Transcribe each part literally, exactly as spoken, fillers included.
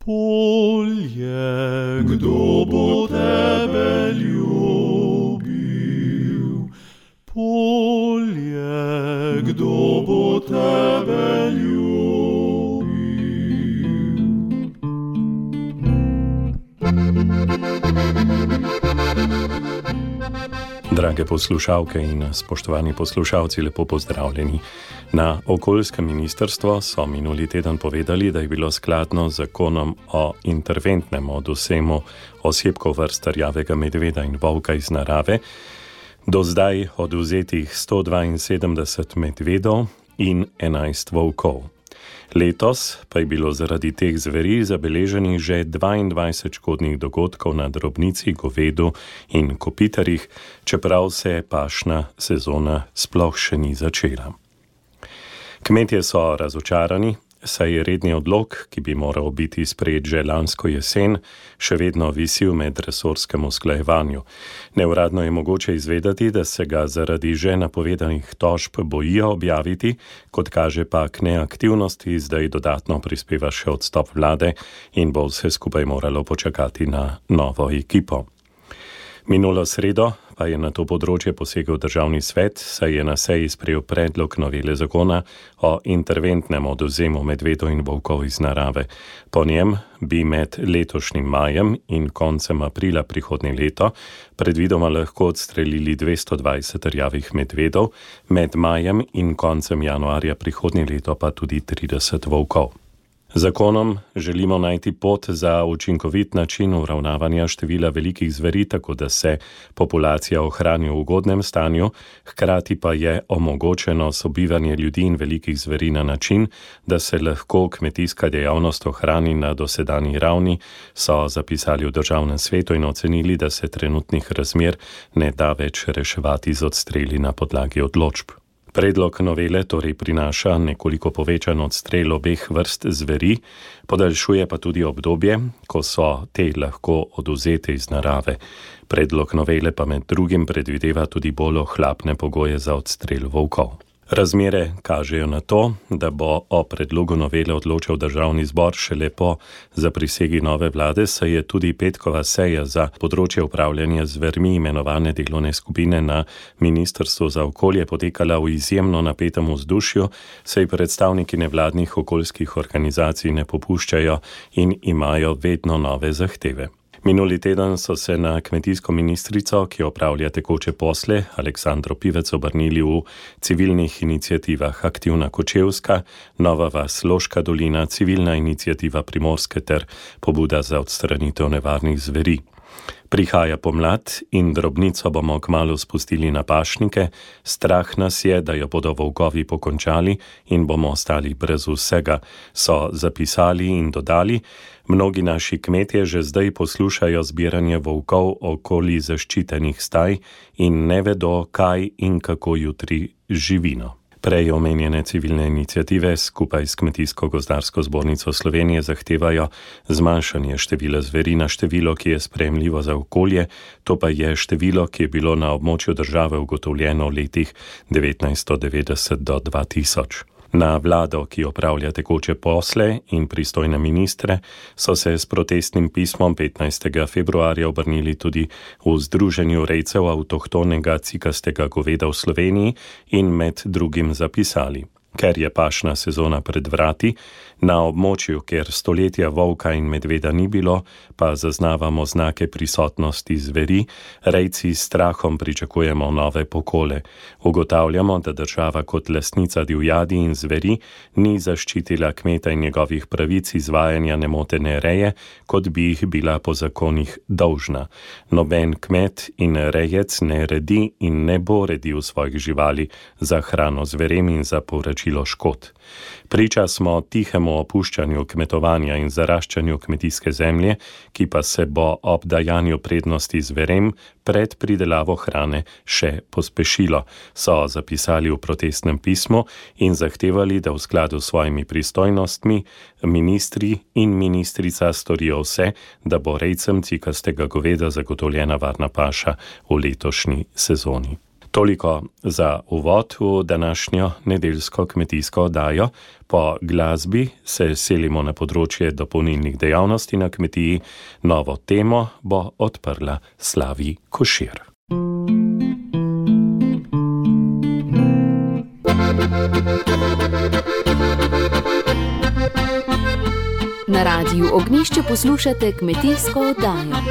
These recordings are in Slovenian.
Polje, kdo bo tebe ljubil? Polje, kdo bo tebe ljubil? Drage poslušalke in spoštovani poslušalci, lepo pozdravljeni. Na okoljskem ministrstvu so minuli teden povedali, da je bilo skladno z zakonom o interventnem odvzemu osebkov vrst rjavega medveda in volka iz narave do zdaj odvzetih sto dvainsedemdeset medvedov in enajst volkov. Letos pa je bilo zaradi teh zveri zabeleženih že dvaindvajset škodnih dogodkov na drobnici, govedu in kopitarjih, čeprav se pašna sezona sploh še ni začela. Kmetje so razočarani, saj je redni odlok, ki bi moral biti sprejet že lansko jesen, še vedno visi v medresorskem usklajevanju. Neuradno je mogoče izvedeti, da se ga zaradi že napovedanih tožb bojijo objaviti, kot kaže pa k neaktivnosti zdaj dodatno prispeva še odstop vlade in bo vse skupaj moralo počakati na novo ekipo. Minulo sredo pa je na to področje posegel državni svet, saj je na seji sprejel predlog novele zakona o interventnem odvzemu medvedov in volkov iz narave. Po njem bi med letošnjim majem in koncem aprila prihodnje leto predvidoma lahko odstrelili dvesto dvajset rjavih medvedov, med majem in koncem januarja prihodnje leto pa tudi trideset volkov. Zakonom želimo najti pot za učinkovit način uravnavanja števila velikih zveri, tako da se populacija ohrani v ugodnem stanju, hkrati pa je omogočeno sobivanje ljudi in velikih zveri na način, da se lahko kmetijska dejavnost ohrani na dosedanji ravni, so zapisali v državnem svetu in ocenili, da se trenutnih razmer ne da več reševati z odstreli na podlagi odločb. Predlog novele torej prinaša nekoliko povečan odstrel obeh vrst zveri, podaljšuje pa tudi obdobje, ko so te lahko odvzete iz narave. Predlog novele pa med drugim predvideva tudi bolj ohlapne pogoje za odstrel volkov. Razmere kažejo na to, da bo o predlogu novele odločil državni zbor šele po zaprisegi nove vlade, saj je tudi petkova seja za področje upravljanja z zvermi imenovane delovne skupine na Ministrstvu za okolje potekala v izjemno napetem vzdušju, saj predstavniki nevladnih okoljskih organizacij ne popuščajo in imajo vedno nove zahteve. Minuli teden so se na kmetijsko ministrico, ki opravlja tekoče posle, Aleksandro Pivec, obrnili v civilnih iniciativah Aktivna Kočevska, Nova vas Loška dolina, Civilna iniciativa Primorske ter Pobuda za odstranitev nevarnih zveri. Prihaja pomlad in drobnico bomo kmalu spustili na pašnike, strah nas je, da jo bodo volkovi pokončali in bomo ostali brez vsega, so zapisali in dodali. Mnogi naši kmetje že zdaj poslušajo zbiranje volkov okoli zaščitenih staj in ne vedo, kaj in kako jutri živino. Prej omenjene civilne iniciative skupaj s Kmetijsko-gozdarsko zbornico Slovenije zahtevajo zmanjšanje števila zveri na število, ki je sprejemljivo za okolje, to pa je število, ki je bilo na območju države ugotovljeno v letih devetnajststo devetdeset do dva tisoč. Na vlado, ki opravlja tekoče posle in pristojne ministre, so se s protestnim pismom petnajstega februarja obrnili tudi v Združenju rejcev avtohtonega cikastega goveda v Sloveniji in med drugim zapisali: ker je pašna sezona pred vrati, na območju, kjer stoletja volka in medveda ni bilo, pa zaznavamo znake prisotnosti zveri, rejci s strahom pričakujemo nove pokole. Ugotavljamo, da država kot lastnica divjadi in zveri ni zaščitila kmeta in njegovih pravic izvajanja nemotene reje, kot bi jih bila po zakonih dolžna. Noben kmet in rejec ne redi in ne bo redil svojih živali za hrano zverem in za povračilo škod. Priča smo tihemu opuščanju kmetovanja in zaraščanju kmetijske zemlje, ki pa se bo ob dajanju prednosti zverem pred pridelavo hrane še pospešilo, so zapisali v protestnem pismu in zahtevali, da v skladu s svojimi pristojnostmi ministri in ministrica storijo vse, da bo rejcem cikastega goveda zagotovljena varna paša v letošnji sezoni. Toliko za uvod v današnjo nedeljsko kmetijsko oddajo. Po glasbi se selimo na področje dopolnilnih dejavnosti na kmetiji. Novo temo bo odprla Slavi Košir. Na Radiu Ognjišče poslušate kmetijsko oddajo.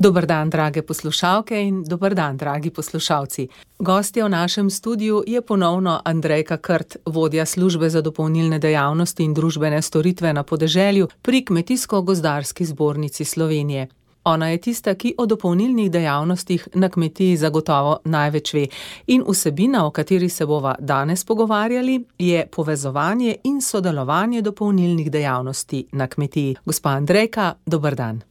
Dober dan, drage poslušalke in dober dan, dragi poslušalci. Gostja v našem studiu je ponovno Andrejka Krt, vodja službe za dopolnilne dejavnosti in družbene storitve na podeželju pri Kmetijsko-gozdarski zbornici Slovenije. Ona je tista, ki o dopolnilnih dejavnostih na kmetiji zagotovo največ ve. In vsebina, o kateri se bova danes pogovarjali, je povezovanje in sodelovanje dopolnilnih dejavnosti na kmetiji. Gospa Andrejka, dober dan.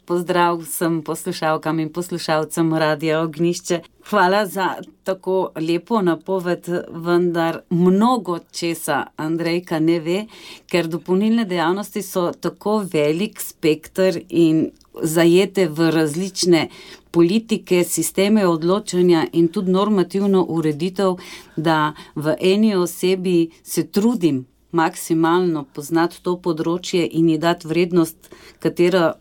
Pozdrav vsem poslušalkam in poslušalcem Radia Ognjišče. Hvala za tako lepo napoved, vendar mnogo česa Andrejka ne ve, ker dopolnilne dejavnosti so tako velik spekter in zajete v različne politike, sisteme odločanja in tudi normativno ureditev, da v eni osebi se trudim maksimalno poznati to področje in ji dati vrednost, katera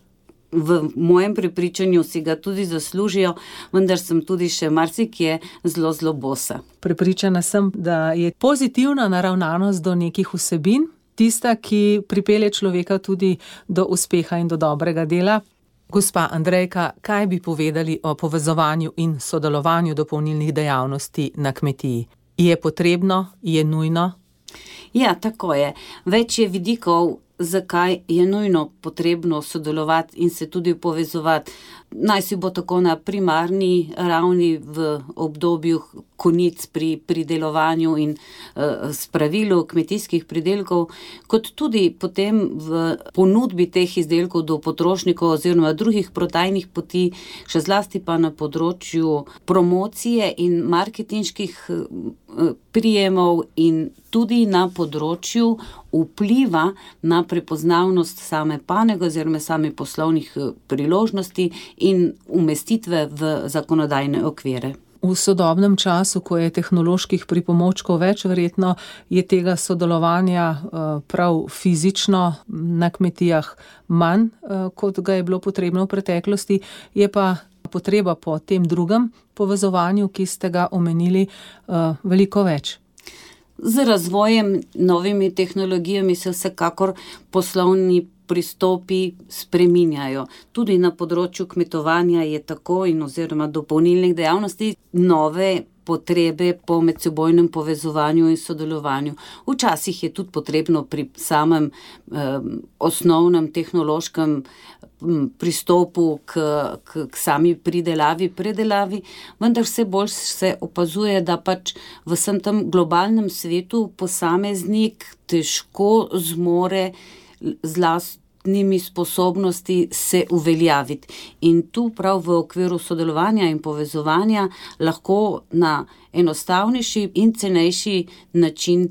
v mojem prepričanju si ga tudi zaslužijo, vendar sem tudi še marsikje zelo, zelo bosa. Prepričana sem, da je pozitivna naravnanost do nekih vsebin tista, ki pripelje človeka tudi do uspeha in do dobrega dela. Gospa Andrejka, kaj bi povedali o povezovanju in sodelovanju dopolnilnih dejavnosti na kmetiji? Je potrebno? Je nujno? Ja, tako je. Več je vidikov, zakaj je nujno potrebno sodelovati in se tudi povezovati. Naj si bo tako na primarni ravni v obdobju konic pri pridelovanju in uh, spravilu kmetijskih pridelkov, kot tudi potem v ponudbi teh izdelkov do potrošnikov oziroma drugih prodajnih poti, še zlasti pa na področju promocije in marketinških uh, prijemov in tudi na področju vpliva na prepoznavnost same panege oziroma same poslovnih priložnosti in umestitve v zakonodajne okvire. V sodobnem času, ko je tehnoloških pripomočkov več, verjetno je tega sodelovanja prav fizično na kmetijah manj, kot ga je bilo potrebno v preteklosti, je pa potreba po tem drugem povezovanju, ki ste ga omenili, veliko več. Z razvojem novimi tehnologijami se vsekakor poslovni pristopi spreminjajo. Tudi na področju kmetovanja je tako in oziroma dopolnilnih dejavnosti nove potrebe po medsebojnem povezovanju in sodelovanju. Včasih je tudi potrebno pri samem eh, osnovnem tehnološkem pristopu k, k, k sami pridelavi, predelavi, vendar vse bolj se opazuje, da pač v vsem tem globalnem svetu posameznik težko zmore z lastnimi sposobnosti se uveljaviti. In tu prav v okviru sodelovanja in povezovanja lahko na enostavnejši in cenejši način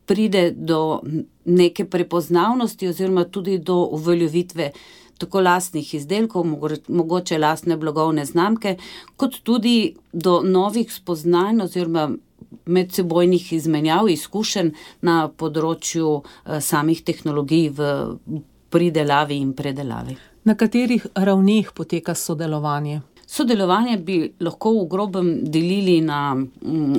pride do neke prepoznavnosti oziroma tudi do uveljavitve tako lastnih izdelkov, mogoče lastne blagovne znamke, kot tudi do novih spoznanj oziroma medsebojnih izmenjav, izkušenj na področju samih tehnologij v pridelavi in predelavi. Na katerih ravneh poteka sodelovanje? Sodelovanje bi lahko v grobem delili na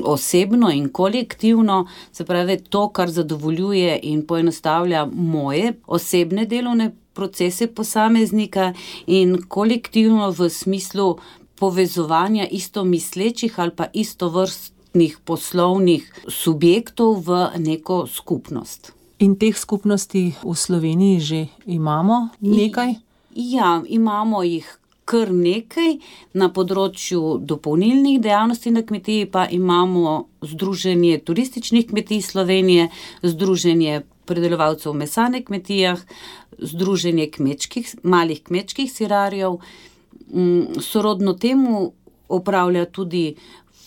osebno in kolektivno, se pravi to, kar zadovoljuje in poenostavlja moje osebne delovne procese posameznika, in kolektivno v smislu povezovanja istomislečih ali pa istovrstnih poslovnih subjektov v neko skupnost. In teh skupnosti v Sloveniji že imamo nekaj? Ja, imamo jih kar nekaj. Na področju dopolnilnih dejavnosti na kmetiji pa imamo Združenje turističnih kmetij Slovenije, Združenje predelovalcev mesa na kmetijah, Združenje kmečkih, malih kmečkih sirarjev. Sorodno temu opravlja tudi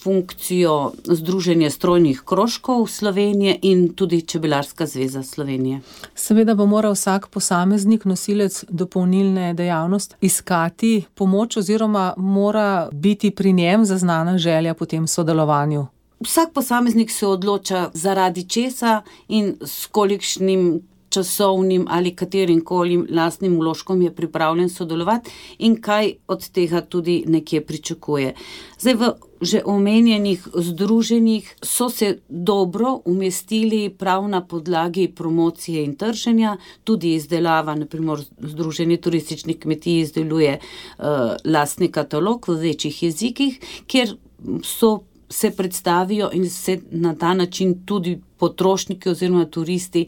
funkcijo Združenje strojnih krožkov Slovenije in tudi Čebelarska zveza Slovenije. Seveda bo moral vsak posameznik, nosilec dopolnilne dejavnosti, iskati pomoč oziroma mora biti pri njem zaznana želja po tem sodelovanju. Vsak posameznik se odloča zaradi česa in s kolikšnim časovnim ali katerim koli lastnim vložkom je pripravljen sodelovati in kaj od tega tudi nekje pričakuje. Zdaj v že omenjenih združenjih so se dobro umestili prav na podlagi promocije in trženja, tudi izdelava, na primer Združenje turističnih kmetij izdeluje uh, lastni katalog v večjih jezikih, kjer so se predstavijo in se na ta način tudi potrošniki oziroma turisti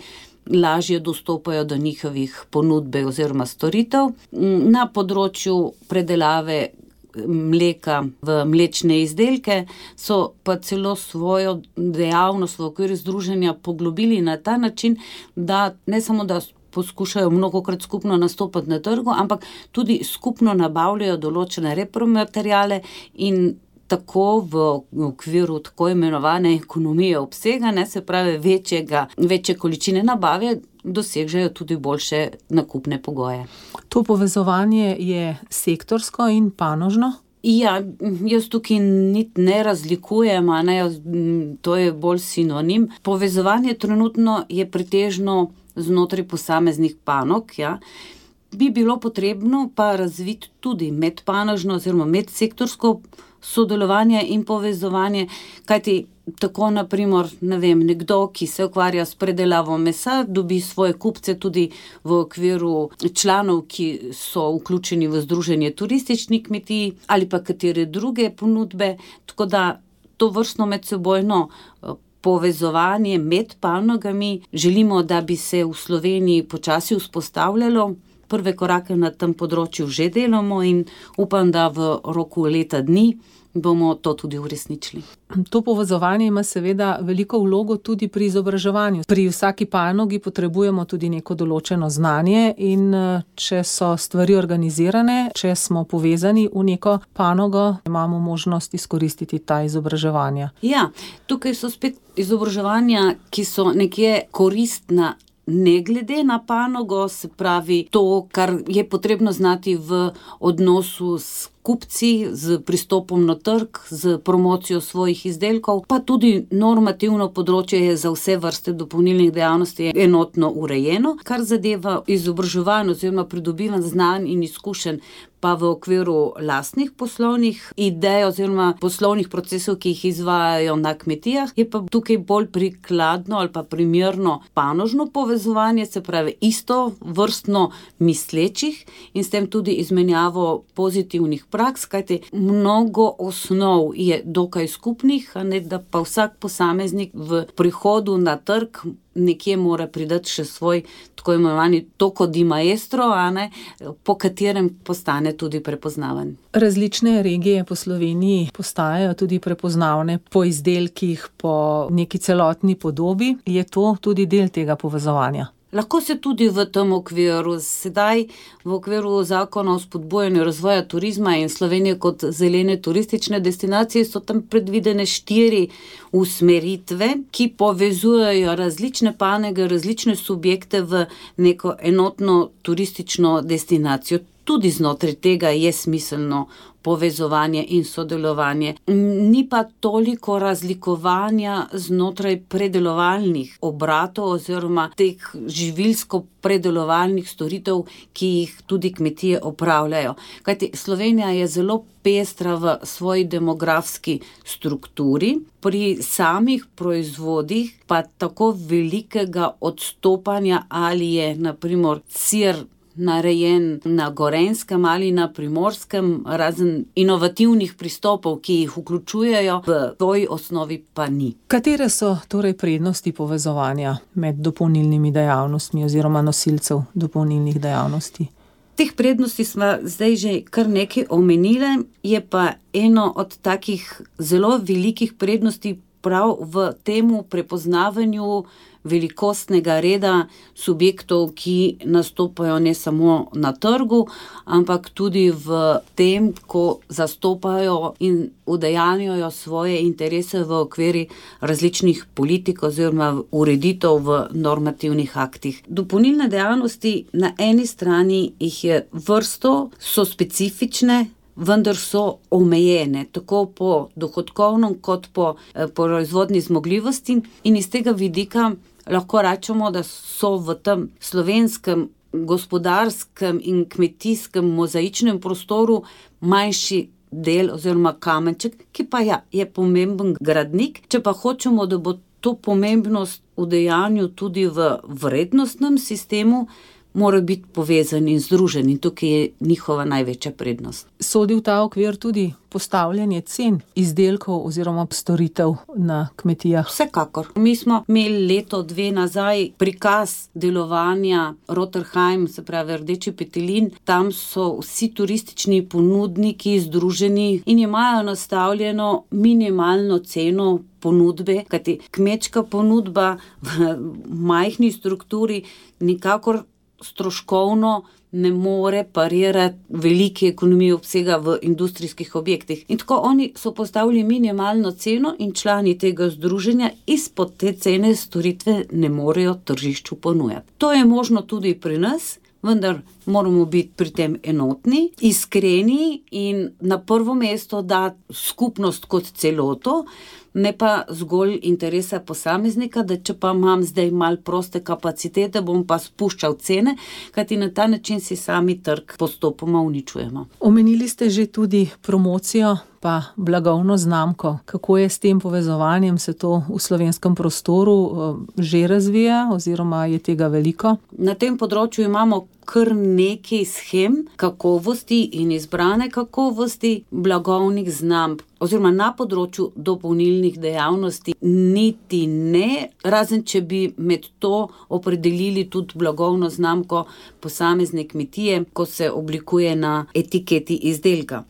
lažje dostopajo do njihovih ponudbe oziroma storitev. Na področju predelave mleka v mlečne izdelke so pa celo svojo dejavnost v okviru združenja poglobili na ta način, da ne samo da poskušajo mnogokrat skupno nastopati na trgu, ampak tudi skupno nabavljajo določene repromateriale in tako v okviru tako imenovane ekonomije obsega, ne, se pravi večjega, večje količine nabave, dosežejo tudi boljše nakupne pogoje. To povezovanje je sektorsko in panožno? Ja, jaz tukaj niti ne razlikujem, a ne, to je bolj sinonim. Povezovanje trenutno je pretežno znotraj posameznih panog, ja. Bi bilo potrebno pa razviti tudi medpanožno oziroma medsektorsko sodelovanje in povezovanje, kajti tako na primer, ne vem, nekdo, ki se ukvarja s predelavo mesa, dobi svoje kupce tudi v okviru članov, ki so vključeni v Združenje turističnih kmetij ali pa katere druge ponudbe, tako da to vrstno medsebojno povezovanje med panogami želimo, da bi se v Sloveniji počasi vzpostavljalo. Prve korake na tem področju že delamo in upam, da v roku leta dni bomo to tudi uresničili. To povezovanje ima seveda veliko vlogo tudi pri izobraževanju. Pri vsaki panogi potrebujemo tudi neko določeno znanje in če so stvari organizirane, če smo povezani v neko panogo, imamo možnost izkoristiti ta izobraževanja. Ja, tukaj so spet izobraževanja, ki so nekje koristna ne glede na panogo, se pravi to, kar je potrebno znati v odnosu s kupci, z pristopom na trg, z promocijo svojih izdelkov, pa tudi normativno področje je za vse vrste dopolnilnih dejavnosti enotno urejeno, kar zadeva izobraževanje oziroma pridobivanje znanj in izkušenj, pa v okviru lastnih poslovnih idej oziroma poslovnih procesov, ki jih izvajajo na kmetijah, je pa tukaj bolj prikladno ali pa primerno panožno povezovanje, se pravi isto vrstno mislečih in s tem tudi izmenjavo pozitivnih praks, kajti mnogo osnov je dokaj skupnih, a ne da pa vsak posameznik v prihodu na trg nekje mora pridati še svoj tako imenovani tocco di maestro, a ne, po katerem postane tudi prepoznaven. Različne regije po Sloveniji postajajo tudi prepoznavne po izdelkih, po neki celotni podobi. Je to tudi del tega povezovanja? Lahko se tudi v tem okviru, sedaj v okviru zakona o spodbujanju razvoja turizma in Slovenije kot zelene turistične destinacije so tam predvidene štiri usmeritve, ki povezujejo različne panoge, različne subjekte v neko enotno turistično destinacijo. Tudi znotraj tega je smiselno povezovanje in sodelovanje. Ni pa toliko razlikovanja znotraj predelovalnih obratov oziroma teh živilsko-predelovalnih storitev, ki jih tudi kmetije opravljajo. Kajti Slovenija je zelo pestra v svoji demografski strukturi, pri samih proizvodih pa tako velikega odstopanja, ali je na primer sir narejen na Gorenjskem ali na Primorskem, razen inovativnih pristopov, ki jih vključujejo, v svoji osnovi pa ni. Katere so torej prednosti povezovanja med dopolnilnimi dejavnostmi oziroma nosilcev dopolnilnih dejavnosti? Teh prednosti smo zdaj že kar nekaj omenile, je pa eno od takih zelo velikih prednosti prav v temu prepoznavanju velikostnega reda subjektov, ki nastopajo ne samo na trgu, ampak tudi v tem, ko zastopajo in udejanjajo svoje interese v okviru različnih politik oziroma ureditev v normativnih aktih. Dopolnilne dejavnosti na eni strani jih je vrsto, so specifične, vendar so omejene, tako po dohodkovnem kot po eh, proizvodni zmogljivosti, in iz tega vidika lahko rečemo, da so v tem slovenskem gospodarskem in kmetijskem mozaičnem prostoru manjši del oziroma kamenček, ki pa ja, je pomemben gradnik. Če pa hočemo, da bo to pomembnost v dejanju tudi v vrednostnem sistemu, mora biti povezan in združen, in tukaj je njihova največja prednost. Sodi v ta okvir tudi postavljanje cen izdelkov oziroma storitev na kmetijah? Vsekakor. Mi smo imeli leto, dve nazaj prikaz delovanja Roterheim, se pravi Rdeči petelin. Tam so vsi turistični ponudniki združeni in imajo nastavljeno minimalno ceno ponudbe, kajti kmečka ponudba v majhni strukturi nikakor stroškovno ne more parirati velike ekonomije obsega v industrijskih objektih. In tako oni so postavili minimalno ceno in člani tega združenja izpod te cene storitve ne morejo tržišču ponujati. To je možno tudi pri nas, vendar moramo biti pri tem enotni, iskreni in na prvo mesto dati skupnost kot celoto, ne pa zgolj interesa posameznika, da če pa imam zdaj malo proste kapacitete, bom pa spuščal cene, kajti na ta način si sami trg postopoma uničujemo. Omenili ste že tudi promocijo pa blagovno znamko. Kako je s tem povezovanjem, se to v slovenskem prostoru že razvija oziroma je tega veliko? Na tem področju imamo kar nekaj shem kakovosti in izbrane kakovosti blagovnih znamk, oziroma na področju dopolnilnih dejavnosti niti ne, razen če bi med to opredelili tudi blagovno znamko posamezne kmetije, ko se oblikuje na etiketi izdelka.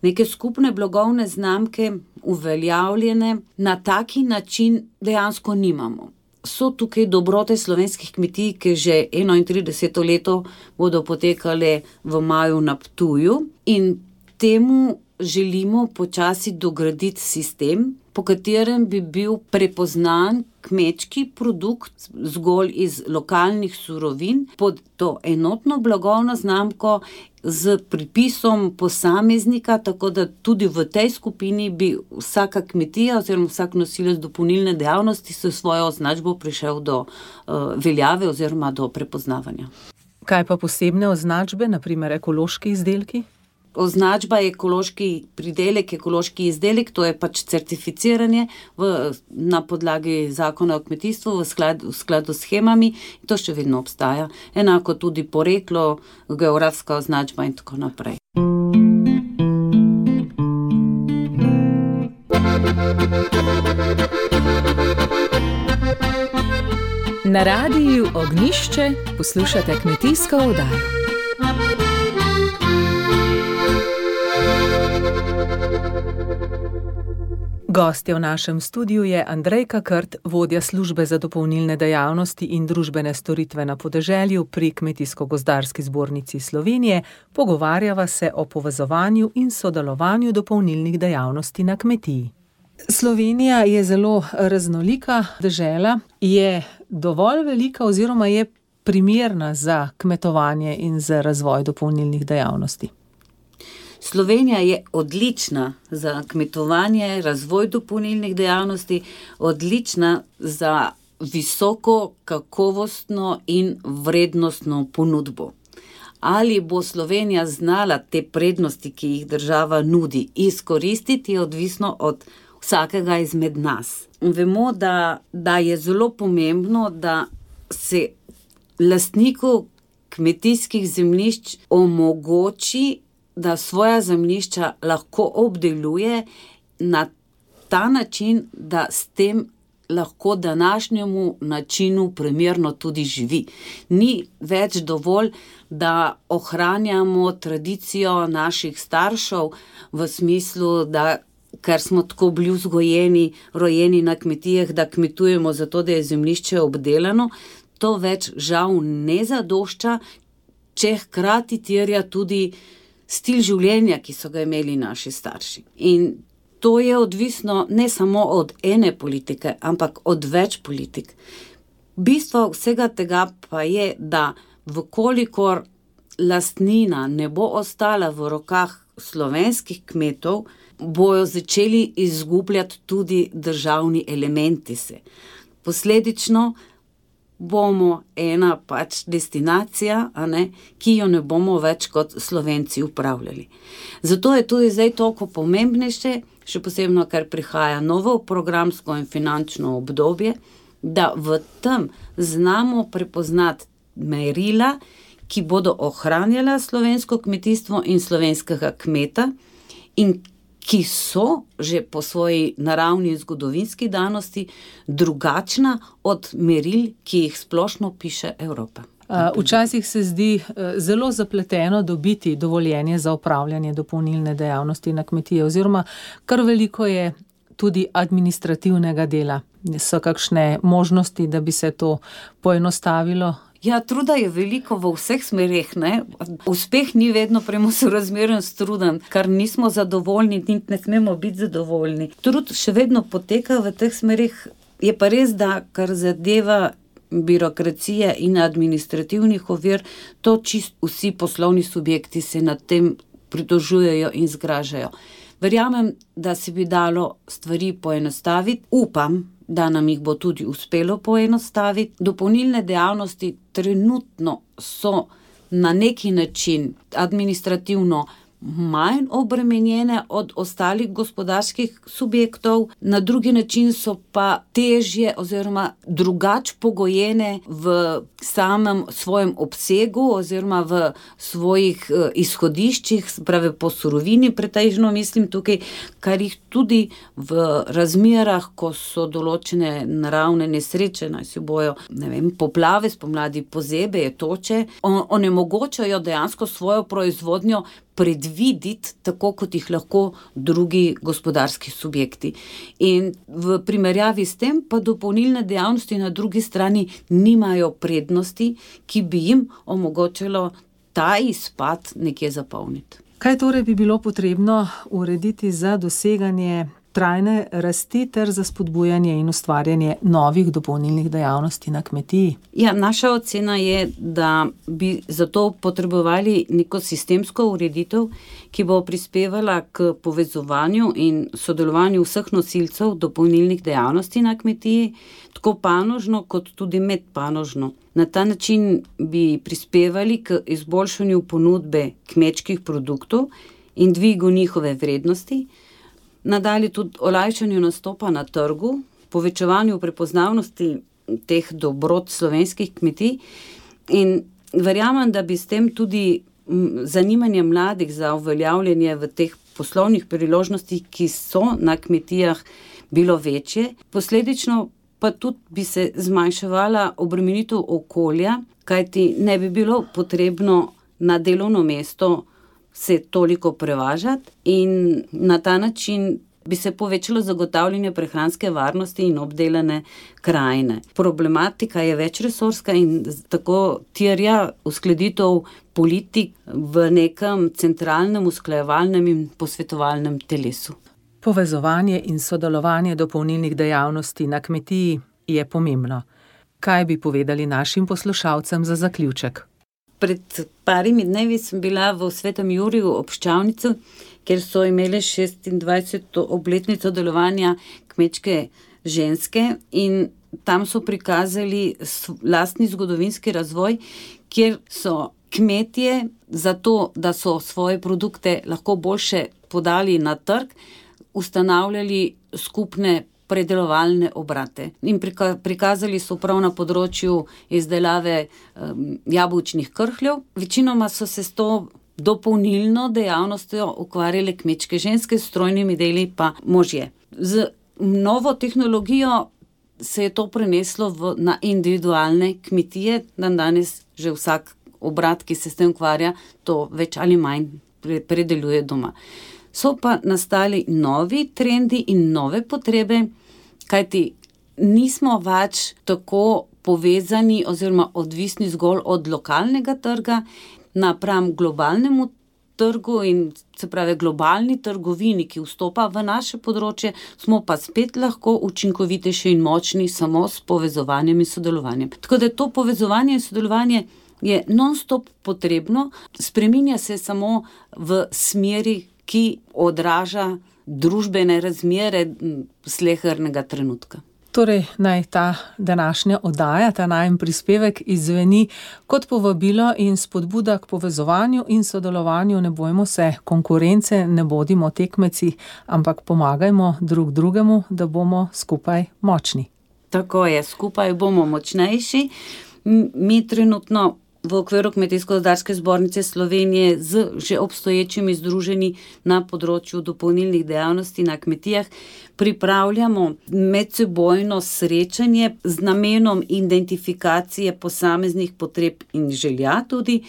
Neke skupne blagovne znamke uveljavljene na taki način dejansko nimamo. So tukaj dobrote slovenskih kmetij, ki že enaintrideseto leto bodo potekale v maju na Ptuju, in temu želimo počasi dograditi sistem, po katerem bi bil prepoznan kmečki produkt zgolj iz lokalnih surovin pod to enotno blagovno znamko z pripisom posameznika, tako da tudi v tej skupini bi vsaka kmetija oziroma vsak nosilec dopolnilne dejavnosti s svojo označbo prišel do uh, veljave oziroma do prepoznavanja. Kaj pa posebne označbe, na primer ekološki izdelki? Označba je ekološki pridelek, ekološki izdelek, to je pač certificiranje v, na podlagi zakona o kmetijstvu v skladu, v skladu s shemami, in to še vedno obstaja. Enako tudi poreklo, geografska označba in tako naprej. Na radiju Ognjišče poslušate kmetijsko oddajo. Gostja v našem studiu je Andrejka Krt, vodja službe za dopolnilne dejavnosti in družbene storitve na podeželju pri Kmetijsko-gozdarski zbornici Slovenije. Pogovarjava se o povezovanju in sodelovanju dopolnilnih dejavnosti na kmetiji. Slovenija je zelo raznolika dežela, je dovolj velika oziroma je primerna za kmetovanje in za razvoj dopolnilnih dejavnosti. Slovenija je odlična za kmetovanje, razvoj dopolnilnih dejavnosti, odlična za visoko kakovostno in vrednostno ponudbo. Ali bo Slovenija znala te prednosti, ki jih država nudi, izkoristiti, je odvisno od vsakega izmed nas. Vemo, da, da je zelo pomembno, da se lastniku kmetijskih zemljišč omogoči, da svoja zemljišča lahko obdeluje na ta način, da s tem lahko današnjemu načinu primerno tudi živi. Ni več dovolj, da ohranjamo tradicijo naših staršev v smislu, da ker smo tako bili vzgojeni, rojeni na kmetijah, da kmetujemo zato, da je zemljišče obdelano, to več žal ne zadošča, če hkrati terja tudi stil življenja, ki so ga imeli naši starši. In to je odvisno ne samo od ene politike, ampak od več politik. Bistvo vsega tega pa je, da vkolikor lastnina ne bo ostala v rokah slovenskih kmetov, bojo začeli izgubljati tudi državni elementi se. Posledično bomo ena pač destinacija, a ne, ki jo ne bomo več kot Slovenci upravljali. Zato je tudi zdaj toliko pomembnejše, še posebno, ker prihaja novo programsko in finančno obdobje, da v tem znamo prepoznati merila, ki bodo ohranjala slovensko kmetijstvo in slovenskega kmeta in ki so že po svoji naravni in zgodovinski danosti drugačna od meril, ki jih splošno piše Evropa. Včasih se zdi zelo zapleteno dobiti dovoljenje za opravljanje dopolnilne dejavnosti na kmetiji, oziroma kar veliko je tudi administrativnega dela. So kakšne možnosti, da bi se to poenostavilo? Ja, truda je veliko v vseh smereh, ne. Uspeh ni vedno premo sorazmeren s trudom, kar nismo zadovoljni, niti ne smemo biti zadovoljni. Trud še vedno poteka v teh smereh, je pa res, da kar zadeva birokracije in administrativnih ovir, to čist vsi poslovni subjekti se nad tem pritožujejo in zgražajo. Verjamem, da se bi dalo stvari poenostaviti, upam, da nam jih bo tudi uspelo poenostaviti. Dopolnilne dejavnosti trenutno so na neki način administrativno manj obremenjene od ostalih gospodarskih subjektov, na drugi način so pa težje oziroma drugače pogojene v samem svojem obsegu oziroma v svojih izhodiščih, pravi po surovini pretežno mislim tukaj, kar jih tudi v razmerah, ko so določene naravne nesreče, naj si bojo, ne vem, poplave, spomladi pozebe, toče, onemogočajo dejansko svojo proizvodnjo predviditi, tako kot jih lahko drugi gospodarski subjekti. In v primerjavi s tem pa dopolnilne dejavnosti na drugi strani nimajo prednosti, ki bi jim omogočilo ta izpad nekje zapolniti. Kaj torej bi bilo potrebno urediti za doseganje trajne rasti ter za spodbujanje in ustvarjanje novih dopolnilnih dejavnosti na kmetiji? Ja, naša ocena je, da bi zato potrebovali neko sistemsko ureditev, ki bo prispevala k povezovanju in sodelovanju vseh nosilcev dopolnilnih dejavnosti na kmetiji, tako panožno kot tudi medpanožno. Na ta način bi prispevali k izboljšanju ponudbe kmečkih produktov in dvigu njihove vrednosti, nadalje tudi olajšanju nastopa na trgu, povečevanju prepoznavnosti teh dobrot slovenskih kmetij in verjamem, da bi s tem tudi zanimanje mladih za uveljavljanje v teh poslovnih priložnostih, ki so na kmetijah, bilo večje. Posledično pa tudi bi se zmanjševala obremenitev okolja, kajti ne bi bilo potrebno na delovno mesto se toliko prevažati in na ta način bi se povečalo zagotavljanje prehranske varnosti in obdelane krajine. Problematika je večresorska in tako terja uskladitev politik v nekem centralnem usklajevalnem in posvetovalnem telesu. Povezovanje in sodelovanje dopolnilnih dejavnosti na kmetiji je pomembno. Kaj bi povedali našim poslušalcem za zaključek? Pred parimi dnevi sem bila v Svetem Juriju ob Ščavnici, kjer so imeli šestindvajseto obletnico delovanja kmečke ženske in tam so prikazali lastni zgodovinski razvoj, kjer so kmetje zato, da so svoje produkte lahko boljše podali na trg, ustanavljali skupne predelovalne obrate. In prikazali so prav na področju izdelave um, jabolčnih krhljev. Večinoma so se s to dopolnilno dejavnostjo ukvarjale kmečke ženske, s strojnimi deli pa možje. Z novo tehnologijo se je to preneslo v, na individualne kmetije, dan danes že vsak obrat, ki se s tem ukvarja, to več ali manj predeluje doma. So pa nastali novi trendi in nove potrebe, kajti nismo več tako povezani oziroma odvisni zgolj od lokalnega trga napram globalnemu trgu in se pravi globalni trgovini, ki vstopa v naše področje, smo pa spet lahko učinkovitejši in močni samo s povezovanjem in sodelovanjem. Tako da to povezovanje in sodelovanje je non-stop potrebno, spreminja se samo v smeri, ki odraža družbene razmere slehernega trenutka. Torej, naj ta današnja oddaja, ta najin prispevek izzveni kot povabilo in spodbuda k povezovanju in sodelovanju. Ne bojmo se konkurence, ne bodimo tekmeci, ampak pomagajmo drug drugemu, da bomo skupaj močni. Tako je, skupaj bomo močnejši. Mi trenutno v okviru Kmetijsko-gozdarske zbornice Slovenije z že obstoječimi združenji na področju dopolnilnih dejavnosti na kmetijah pripravljamo medsebojno srečanje z namenom identifikacije posameznih potreb in želja tudi,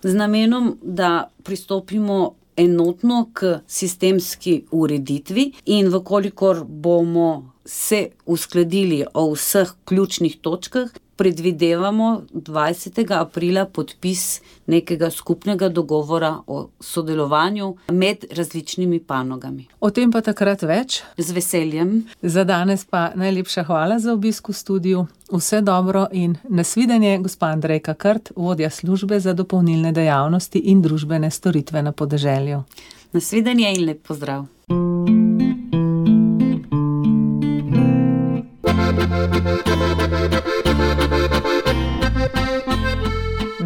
z namenom, da pristopimo enotno k sistemski ureditvi in vkolikor bomo se uskladili o vseh ključnih točkah, predvidevamo dvajsetega aprila podpis nekega skupnega dogovora o sodelovanju med različnimi panogami. O tem pa takrat več. Z veseljem. Za danes pa najlepša hvala za obisk v studiu. Vse dobro in nasvidenje, gospa Andrejka Krt, vodja službe za dopolnilne dejavnosti in družbene storitve na podeželju. Nasvidenje in lep pozdrav.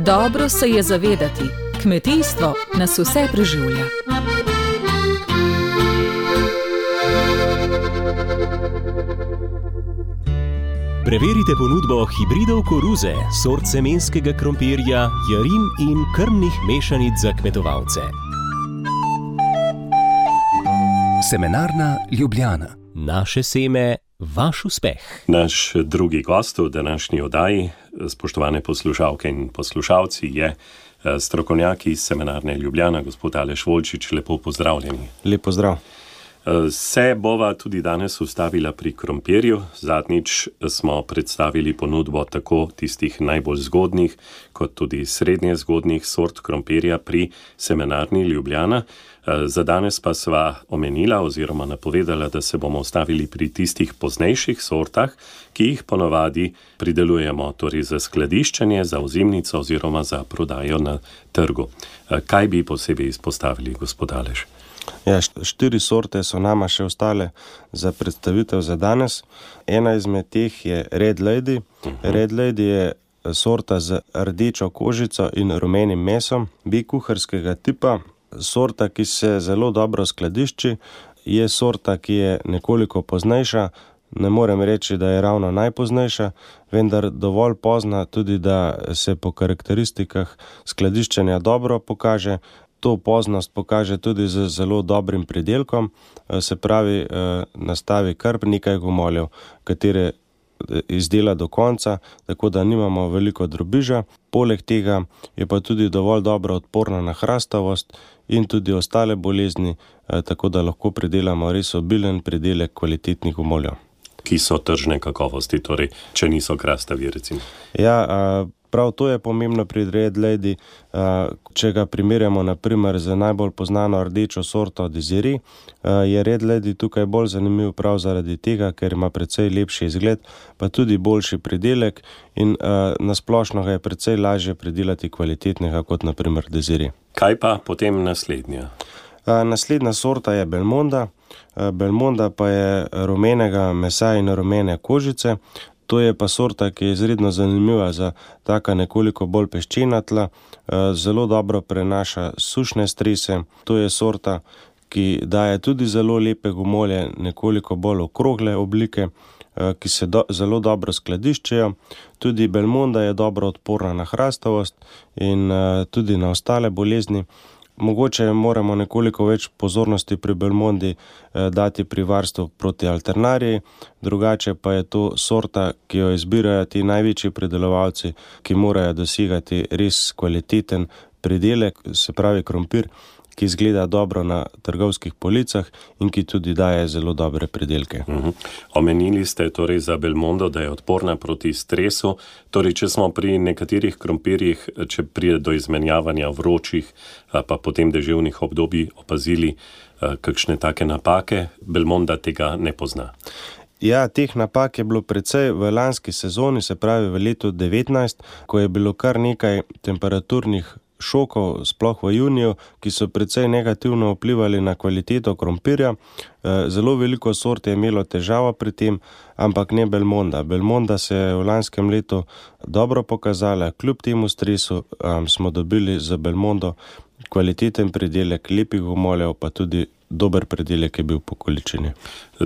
Dobro se je zavedati, kmetijstvo nas vse preživlja. Preverite ponudbo hibridov koruze, sort semenskega krompirja, jarim in krmnih mešanic za kmetovalce. Semenarna Ljubljana. Naše seme, vaš uspeh. Naš drugi gost v današnji oddaji, spoštovane poslušalke in poslušalci, je strokovnjak iz Semenarne Ljubljana, gospod Aleš Volčič. Lepo pozdravljeni. Lep pozdrav. Se bova tudi danes ustavila pri krompirju. Zadnjič smo predstavili ponudbo tako tistih najbolj zgodnih, kot tudi srednje zgodnih sort krompirja pri Semenarni Ljubljana. Za danes pa sva omenila oziroma napovedala, da se bomo ustavili pri tistih poznejših sortah, ki jih ponovadi pridelujemo, torej za skladiščenje, za ozimnico oziroma za prodajo na trgu. Kaj bi posebej izpostavili, gospod Aleš? Ja, štiri sorte so nama še ostale za predstavitev za danes. Ena izmed teh je Red Lady. Uh-huh. Red Lady je sorta z rdečo kožico in rumenim mesom, bikuharskega tipa. Sorta, ki se zelo dobro skladišči, je sorta, ki je nekoliko poznejša. Ne morem reči, da je ravno najpoznejša, vendar dovolj pozna tudi, da se po karakteristikah skladiščenja dobro pokaže. To poznost pokaže tudi z zelo dobrim pridelkom, se pravi, nastavi kar nekaj gomoljev, katere izdela do konca, tako da nimamo veliko drobiža. Poleg tega je pa tudi dovolj dobro odporna na hrastavost in tudi ostale bolezni, tako da lahko pridelamo res obilen pridelek kvalitetnih gomoljev. Ki so tržne kakovosti, torej, če niso krastavi, recimo. Ja, prav to je pomembno pri Red Lady. Če ga primerjamo naprimer z najbolj poznano rdečo sorto Desiree, je Red Lady tukaj bolj zanimiv prav zaradi tega, ker ima precej lepši izgled, pa tudi boljši pridelek in nasplošno ga je precej lažje pridelati kvalitetnega kot naprimer Desiree. Kaj pa potem naslednja? Naslednja sorta je Belmonda. Belmonda pa je rumenega mesa in rumene kožice. To je pa sorta, ki je izredno zanimiva za taka nekoliko bolj peščena tla, zelo dobro prenaša sušne strese. To je sorta, ki daje tudi zelo lepe gomolje, nekoliko bolj okrogle oblike, ki se do, zelo dobro skladiščejo. Tudi Belmonda je dobro odporna na hrastavost in tudi na ostale bolezni. Mogoče moramo nekoliko več pozornosti pri Belmondi dati pri varstvu proti alternariji, drugače pa je to sorta, ki jo izbirajo ti največji pridelovalci, ki morajo dosegati res kvaliteten pridelek, se pravi krompir, ki izgleda dobro na trgovskih policah in ki tudi daje zelo dobre pridelke. Uh-huh. Omenili ste torej za Belmondo, da je odporna proti stresu. Torej, če smo pri nekaterih krompirjih, če pride do izmenjavanja vročih pa potem deževnih obdobij opazili kakšne take napake, Belmonda tega ne pozna. Ja, teh napak je bilo precej v lanski sezoni, se pravi v letu devetnajst, ko je bilo kar nekaj temperaturnih šokov, sploh v juniju, ki so precej negativno vplivali na kvaliteto krompirja. Zelo veliko sort je imelo težavo pri tem, ampak ne Belmonda. Belmonda se je v lanskem letu dobro pokazala, kljub temu stresu um, smo dobili za Belmondo kvaliteten pridelek, lepih gomoljev, pa tudi dober pridelek je bil po količini.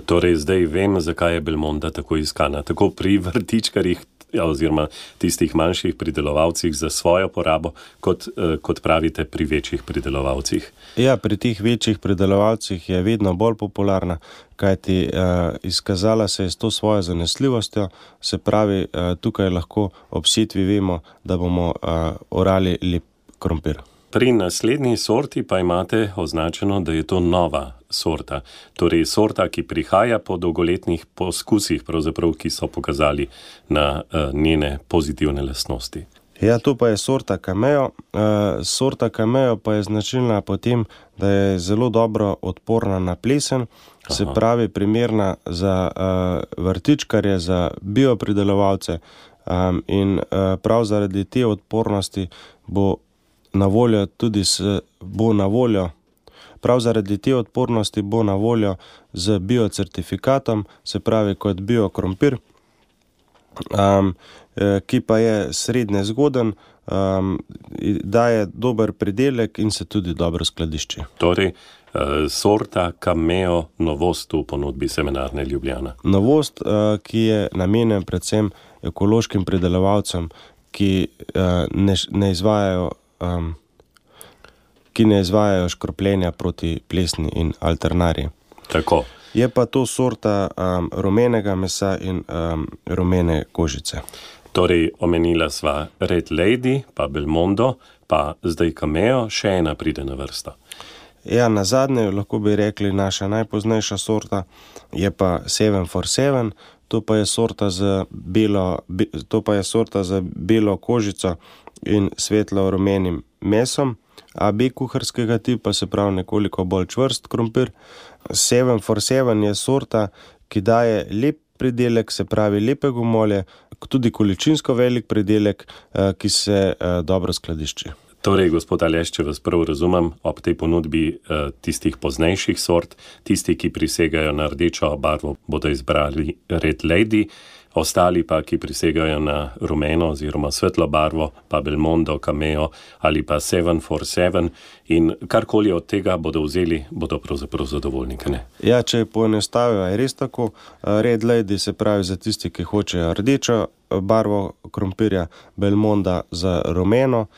Torej, zdaj vem, zakaj je Belmonda tako iskana. Tako pri vrtičkarjih oziroma tistih manjših pridelovalcih za svojo porabo, kot, kot pravite pri večjih pridelovalcih. Ja, pri teh večjih pridelovalcih je vedno bolj popularna, kajti uh, izkazala se je s to svojo zanesljivostjo, se pravi, uh, tukaj lahko ob setvi vemo, da bomo uh, orali lep krompir. Pri naslednji sorti pa imate označeno, da je to nova sorta. Torej sorta, ki prihaja po dolgoletnih poskusih, pravzaprav, ki so pokazali na uh, njene pozitivne lastnosti. Ja, to pa je sorta Cameo. Uh, sorta Cameo pa je značilna po tem, da je zelo dobro odporna na plesen, Aha. se pravi primerna za uh, vrtičkarje, za biopridelovalce um, in uh, prav zaradi te odpornosti bo na voljo tudi s, bo na voljo, prav zaradi te odpornosti bo na voljo z biocertifikatom, se pravi kot biokrompir, um, ki pa je srednje zgoden, um, daje dober pridelek in se tudi dobro skladišči. Torej, sorta Cameo, novost v ponudbi Semenarne Ljubljana. Novost, ki je namenjen predvsem ekološkim pridelovalcem, ki ne, ne izvajajo Um, ki ne izvajajo škropljenja proti plesni in alternarji. Tako. Je pa to sorta um, rumenega mesa in um, rumene kožice. Torej, omenila sva Red Lady, pa Belmondo, pa zdaj Cameo, še ena pride na vrsto. Ja, na zadnje, lahko bi rekli, naša najpoznejša sorta je pa sedem for sedem, to pa je sorta z belo, be, to pa je sorta z belo kožico in svetlo rumenim mesom, A B kuharskega tipa, se pravi nekoliko bolj čvrst krompir. sedem for sedem je sorta, ki daje lep pridelek, se pravi lepe gomolje, tudi količinsko velik pridelek, ki se dobro skladišči. Torej, gospod Aleš, če vas prav razumem, ob tej ponudbi eh, tistih poznejših sort, tisti, ki prisegajo na rdečo barvo, bodo izbrali Red Lady, ostali pa, ki prisegajo na rumeno oziroma svetlo barvo, pa Belmondo, Cameo ali pa sedem for sedem in karkoli od tega bodo vzeli, bodo pravzaprav zadovoljni, ne? Ja, če poenostavijo, je res tako. Red Lady se pravi za tisti, ki hočejo rdečo barvo krompirja, Belmonda za rumeno,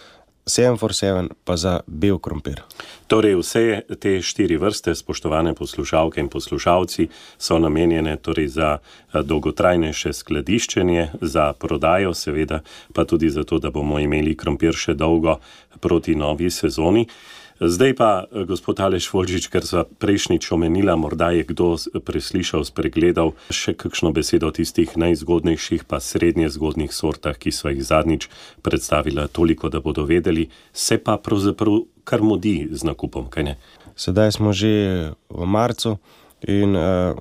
sedem for sedem pa za bel krompir. Torej, vse te štiri vrste, spoštovane poslušalke in poslušalci, so namenjene torej za dolgotrajnejše skladiščenje, za prodajo seveda, pa tudi zato, da bomo imeli krompir še dolgo proti novi sezoni. Zdaj pa, gospod Aleš Volčič, ker sva prejšnjič omenila, morda je kdo preslišal, spregledal še kakšno besedo o tistih najzgodnejših pa srednje zgodnih sortah, ki sva jih zadnjič predstavila, toliko, da bodo vedeli, se pa pravzaprav kar mudi z nakupom, kaj ne? Sedaj smo že v marcu in uh,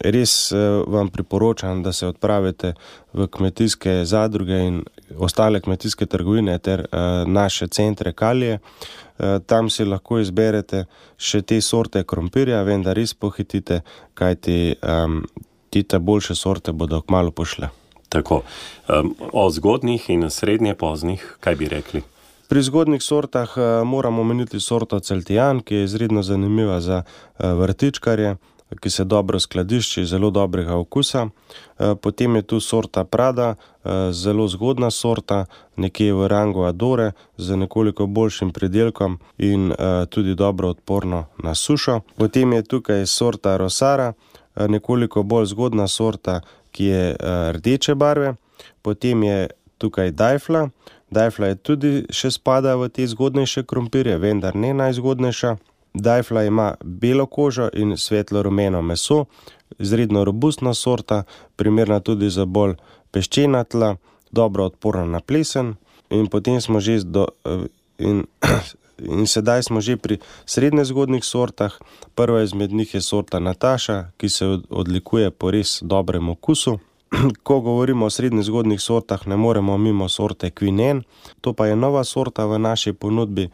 res uh, vam priporočam, da se odpravite v kmetijske zadruge in ostale kmetijske trgovine ter uh, naše centre Kalije. Tam si lahko izberete še te sorte krompirja, vendar res pohitite, kajti um, tite boljše sorte bodo kmalu pošle. Tako. Um, o zgodnih in srednje poznih, kaj bi rekli? Pri zgodnih sortah uh, moramo omeniti sorto Celtijan, ki je izredno zanimiva za uh, vrtičkarje, ki se dobro skladišči, zelo dobrega okusa. Potem je tu sorta Prada, zelo zgodna sorta, nekje v rangu Adore, z nekoliko boljšim pridelkom in tudi dobro odporno na sušo. Potem je tukaj sorta Rosara, nekoliko bolj zgodna sorta, ki je rdeče barve. Potem je tukaj Dajfla. Dajfla je tudi še spada v te zgodnejše krompirje, vendar ne najzgodnejša. Dajfla ima belo kožo in svetlo rumeno meso, izredno robustna sorta, primerna tudi za bolj peščena tla, dobro odporna na plesen. In potem smo že do, in, in sedaj smo že pri srednje zgodnih sortah. Prva izmed njih je sorta Nataša, ki se odlikuje po res dobrem okusu. Ko govorimo o srednje zgodnih sortah, ne moremo mimo sorte Queen Anne. To pa je nova sorta v naši ponudbi,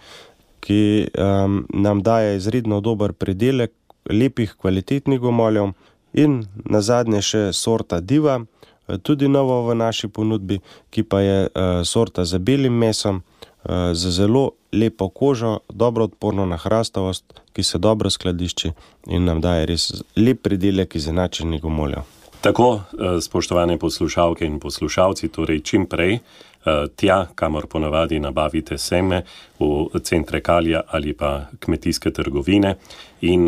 ki um, nam daje izredno dober pridelek lepih, kvalitetnih gomoljev. In nazadnje še sorta Diva, tudi novo v naši ponudbi, ki pa je uh, sorta z belim mesom, uh, z zelo lepo kožo, dobro odporno na hrastavost, ki se dobro skladišči in nam daje res lep pridelek izenačenih gomoljev. Tako, spoštovane poslušalke in poslušalci, torej čim prej tja, kamor ponavadi nabavite seme, v centre Kalja ali pa kmetijske trgovine, in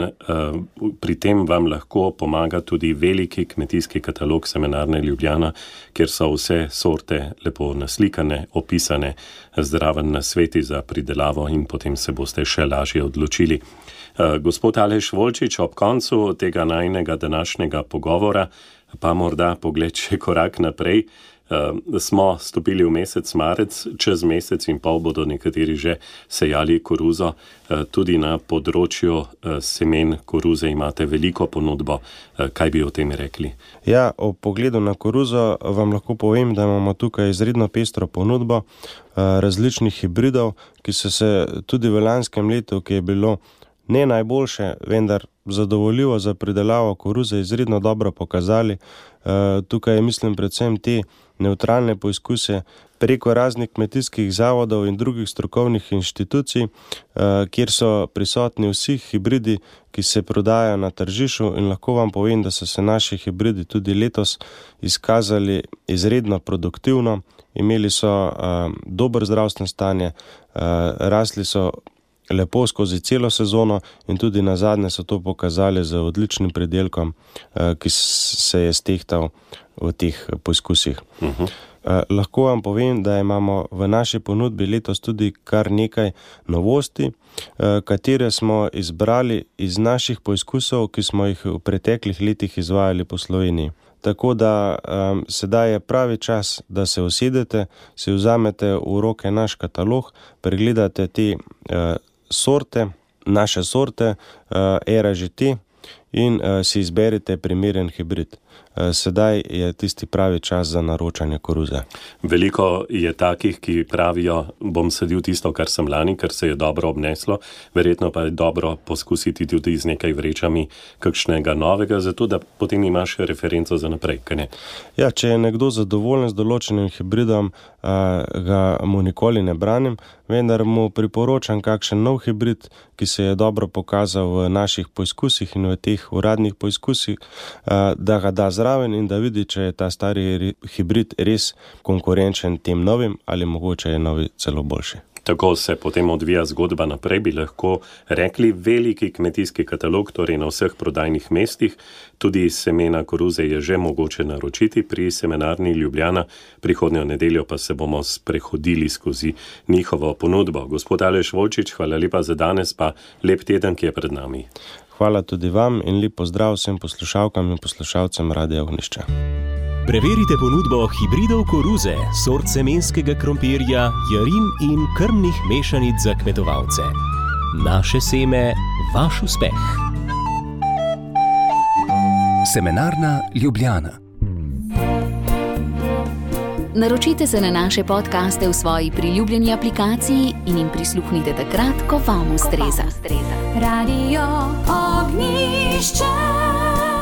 pri tem vam lahko pomaga tudi veliki kmetijski katalog Semenarne Ljubljana, kjer so vse sorte lepo naslikane, opisane, zdraven nasveti za pridelavo in potem se boste še lažje odločili. Gospod Aleš Volčič, ob koncu tega najinega današnjega pogovora pa morda pogled še korak naprej. Uh, smo stopili v mesec marec, čez mesec in pol bodo nekateri že sejali koruzo. Uh, tudi na področju uh, semen koruze imate veliko ponudbo. Uh, kaj bi o tem rekli? Ja, o pogledu na koruzo vam lahko povem, da imamo tukaj izredno pestro ponudbo uh, različnih hibridov, ki so se tudi v lanskem letu, ki je bilo ne najboljše, vendar zadovoljivo za pridelavo koruze, izredno dobro pokazali. Uh, tukaj mislim predvsem te nevtralne poizkuse preko raznih kmetijskih zavodov in drugih strokovnih inštitucij, uh, kjer so prisotni vsi hibridi, ki se prodajajo na tržišču, in lahko vam povem, da so se naši hibridi tudi letos izkazali izredno produktivno, imeli so uh, dober zdravstveno stanje, uh, rasli so lepo skozi celo sezono in tudi nazadnje so to pokazali z odličnim pridelkom, ki se je stehtal v teh poizkusih. Uh-huh. Lahko vam povem, da imamo v naši ponudbi letos tudi kar nekaj novosti, katere smo izbrali iz naših poizkusov, ki smo jih v preteklih letih izvajali po Sloveniji. Tako da um, sedaj je pravi čas, da se usedete, si vzamete v roke naš katalog, pregledate te uh, sorte, naše sorte, uh, era G T, in uh, si izberite primeren hibrid. Uh, sedaj je tisti pravi čas za naročanje koruze. Veliko je takih, ki pravijo, bom sadil tisto, kar sem lani, ker se je dobro obneslo, verjetno pa je dobro poskusiti tudi z nekaj vrečami kakšnega novega, zato da potem imaš referenco za naprej, kaj ne? Ja, če je nekdo zadovoljen z določenim hibridom, uh, ga mu nikoli ne branim, vendar mu priporočam kakšen nov hibrid, ki se je dobro pokazal v naših poizkusih in v teh uradnih poizkusih, da ga da zraven in da vidi, če je ta stari hibrid res konkurenčen tem novim ali mogoče je novi celo boljši. Tako se potem odvija zgodba naprej, bi lahko rekli, veliki kmetijski katalog, torej na vseh prodajnih mestih. Tudi semena koruze je že mogoče naročiti pri Semenarni Ljubljana. Prihodnjo nedeljo pa se bomo sprehodili skozi njihovo ponudbo. Gospod Aleš Volčič, hvala lepa za danes, pa lep teden, ki je pred nami. Hvala tudi vam in lep pozdrav vsem poslušalkam in poslušalcem Radia Ognjišče. Preverite ponudbo hibridov koruze, sort semenskega krompirja, jarim in krmnih mešanic za kmetovalce. Naše seme, vaš uspeh. Semenarna Ljubljana. Naročite se na naše podcaste v svoji priljubljeni aplikaciji in jim prisluhnite takrat, ko vam ustreza. Radio Ognjišče.